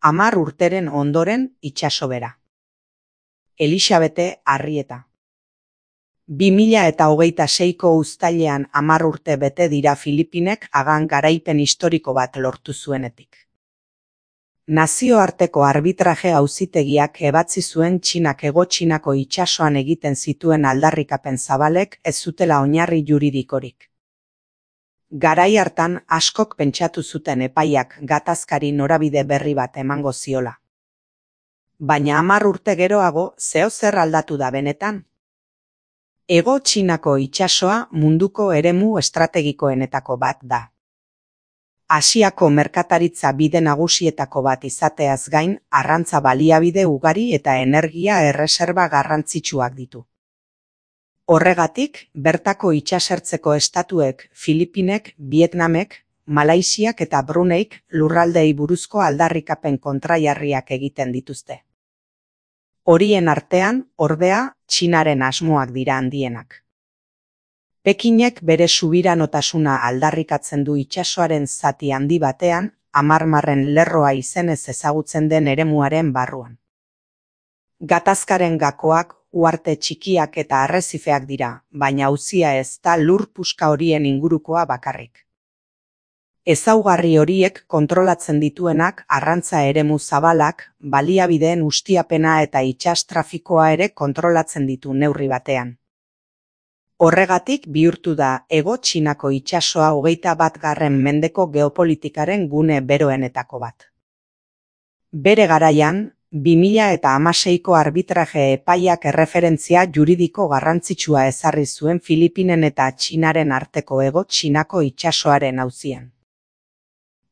10 urteren ondoren itsasobera. Elisabete Arrieta. 2026ko uztailean 10 urte bete dira Filipinek hagan garaipen historiko bat lortu zuenetik. Nazioarteko arbitraje auzitegiak ebatzi zuen Txinak Hego Txinako itsasoan egiten zituen aldarrikapen zabalek ez zutela oinarri juridikorik. Garai hartan askok pentsatu zuten epaiak gatazkari norabide berri bat emango ziola. Baina 10 urte geroago zeozer aldatu da benetan. Hego Txinako itsasoa munduko eremu estrategikoenetako bat da. Asiako merkataritza bide nagusietako bat izateaz gain, arrantza baliabide ugari eta energia erreserba garrantzitsuak ditu. Horregatik, bertako itsasertzeko estatuek, Filipinek, Vietnamek, Malaisiak eta Bruneik lurraldeei buruzko aldarrikapen kontrajarriak egiten dituzte. Horien artean, ordea, Txinaren asmoak dira handienak. Pekinek bere subiranotasuna aldarrikatzen du itsasoaren zati handi batean, Amarmarren lerroa izenez ezagutzen den eremuaren barruan. Gatazkaren gakoak, uharte txikiak eta arrezifeak dira, baina auzia ez da lur puska horien ingurukoa bakarrik. Ezaugarri horiek kontrolatzen dituenak arrantza eremu zabalak, baliabideen ustiapena eta itsas trafikoa ere kontrolatzen ditu neurri batean. Horregatik bihurtu da Hego Txinako itsasoa 21. mendeko geopolitikaren gune beroenetako bat. Bere garaian, 2016ko arbitraje epaiak erreferentzia juridiko garrantzitsua ezarri zuen Filipinen eta Txinaren arteko Hego Txinako itsasoaren auzian.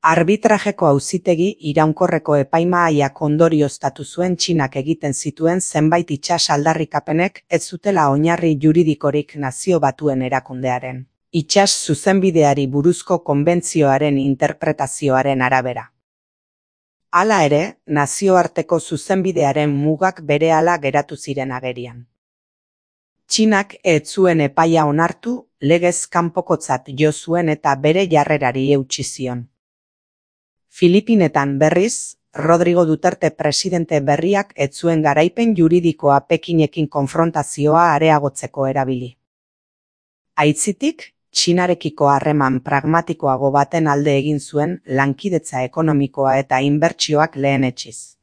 Arbitrajeko auzitegi iraunkorreko epaimahaiak ondorioztatu zuen Txinak egiten zituen zenbait itsas aldarrikapenek ez zutela oinarri juridikorik Nazio Batuen Erakundearen itsas zuzenbideari buruzko konbentzioaren interpretazioaren arabera. Hala ere, nazioarteko zuzenbidearen mugak berehala geratu ziren agerian. Txinak ez zuen epaia onartu, legez kanpokotzat jo zuen eta bere jarrerari eutsi zion. Filipinetan berriz, Rodrigo Duterte presidente berriak ez zuen garaipen juridikoa Pekinekin konfrontazioa areagotzeko erabili. Aitzitik, Txinarekiko harreman pragmatikoago baten alde egin zuen lankidetza ekonomikoa eta inbertsioak lehenetsiz.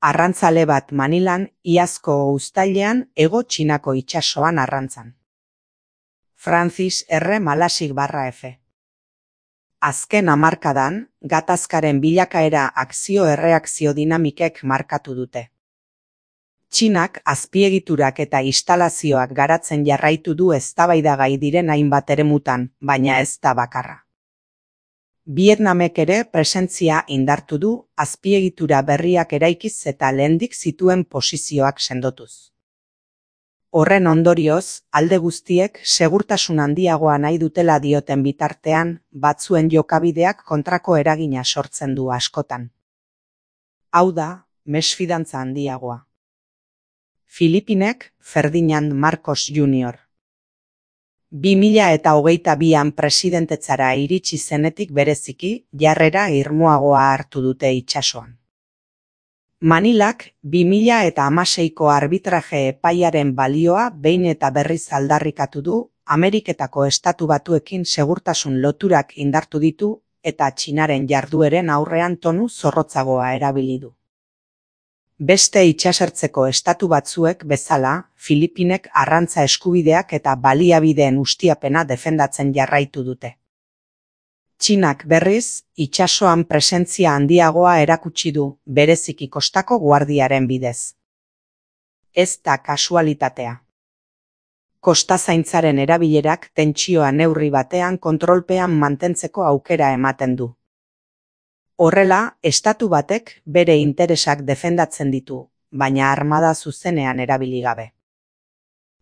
Arrantzale bat Manilan, iazko uztailean Hego Txinako itsasoan arrantzan. Francis R. Malasik/F. Azken hamarkadan, gatazkaren bilakaera akzio-erreakzio dinamikek markatu dute. Txinak azpiegiturak eta instalazioak garatzen jarraitu du eztabaidagai diren hainbat eremutan, baina ez da bakarra. Vietnamek ere presentzia indartu du, azpiegitura berriak eraikiz eta lehendik zituen posizioak sendotuz. Horren ondorioz, alde guztiek segurtasun handiagoa nahi dutela dioten bitartean, batzuen jokabideak kontrako eragina sortzen du askotan. Hau da, mesfidantza handiagoa. Filipinek, Ferdinand Marcos Jr. 2022an presidentetzara iritsi zenetik bereziki, jarrera irmoagoa hartu dute itsasoan. Manilak 2016ko arbitraje epaiaren balioa behin eta berriz aldarrikatu du, Ameriketako Estatu Batuekin segurtasun loturak indartu ditu eta Txinaren jardueren aurrean tonu zorrotzagoa erabili du. Beste itsasertzeko estatu batzuek bezala, Filipinek arrantza eskubideak eta baliabideen ustiapena defendatzen jarraitu dute. Txinak berriz, itsasoan presentzia handiagoa erakutsi du, bereziki kostako guardiaren bidez. Ez da kasualitatea. Kostazaintzaren erabilerak tentsioa neurri batean kontrolpean mantentzeko aukera ematen du. Horrela, estatu batek bere interesak defendatzen ditu, baina armada zuzenean erabili gabe.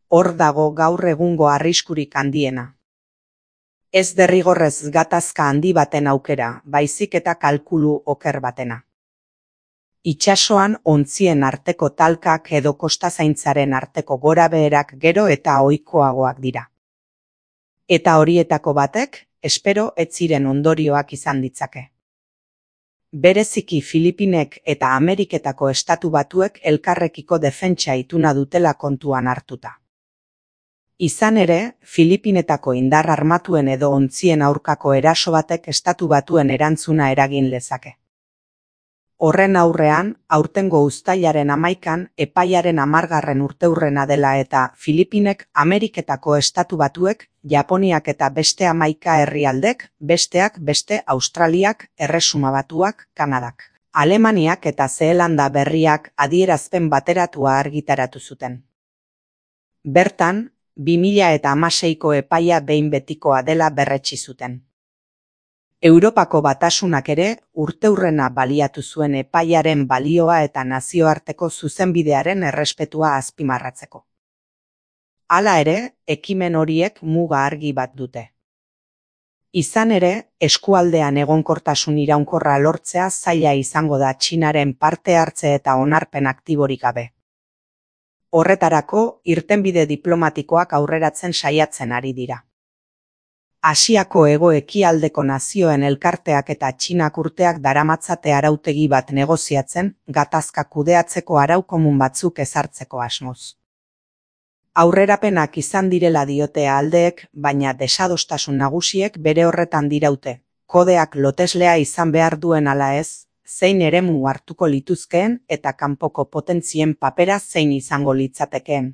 Hor dago gaur egungo arriskurik handiena. Ez derrigorrez gatazka handi baten aukera, baizik eta kalkulu oker batena. Itsasoan ontzien arteko talkak edo kostazaintzaren arteko gorabeherak gero eta ohikoagoak dira. Eta horietako batek, espero ez ziren ondorioak izan ditzake. Bereziki Filipinek eta Ameriketako Estatu Batuek elkarrekiko defentsa ituna dutela kontuan hartuta. Izan ere, Filipinetako indar armatuen edo ontzien aurkako eraso batek Estatu Batuen erantzuna eragin lezake. Horren aurrean, aurtengo uztailaren 11an epaiaren 10. urteurrena dela eta Filipinek Ameriketako Estatu Batuek, Japoniak eta beste 11 herrialdek, besteak beste Australiak, Erresuma Batuak, Kanadak, Alemaniak eta Zeelanda Berriak adierazpen bateratua argitaratu zuten. Bertan, 2016ko epaia behin betikoa dela berretsi zuten. Europako Batasunak ere urteurrena baliatu zuen epaiaren balioa eta nazioarteko zuzenbidearen errespetua azpimarratzeko. Hala ere, ekimen horiek muga argi bat dute. Izan ere, eskualdean egonkortasun iraunkorra lortzea zaila izango da Txinaren parte hartze eta onarpen aktiborik gabe. Horretarako, irtenbide diplomatikoak aurreratzen saiatzen ari dira. Asiako hego-ekialdeko nazioen elkarteak eta Txinak urteak daramatzate arautegi bat negoziatzen, gatazka kudeatzeko arau komun batzuk ezartzeko asmoz. Aurrerapenak izan direla diote aldeek, baina desadostasun nagusiek bere horretan diraute, kodeak loteslea izan behar duen ala ez, zein eremu hartuko lituzkeen eta kanpoko potentzien papera zein izango litzatekeen.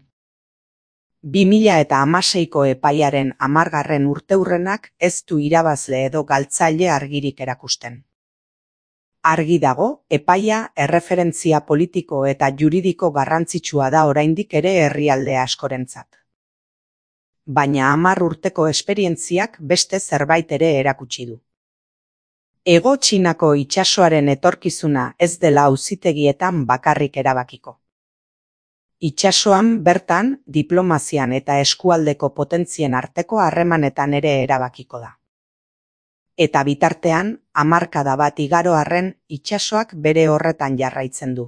2016ko epaiaren 10. urteurrenak ez du irabazle edo galtzaile argirik erakusten. Argi dago, epaia erreferentzia politiko eta juridiko garrantzitsua da oraindik ere herrialde askorentzat. Baina 10 urteko esperientziak beste zerbait ere erakutsi du. Hego Txinako itsasoaren etorkizuna ez dela auzitegietan bakarrik erabakiko. Itsasoan bertan, diplomazian eta eskualdeko potentzien arteko harremanetan ere erabakiko da. Eta bitartean, hamarkada bat igaro arren, itsasoak bere horretan jarraitzen du.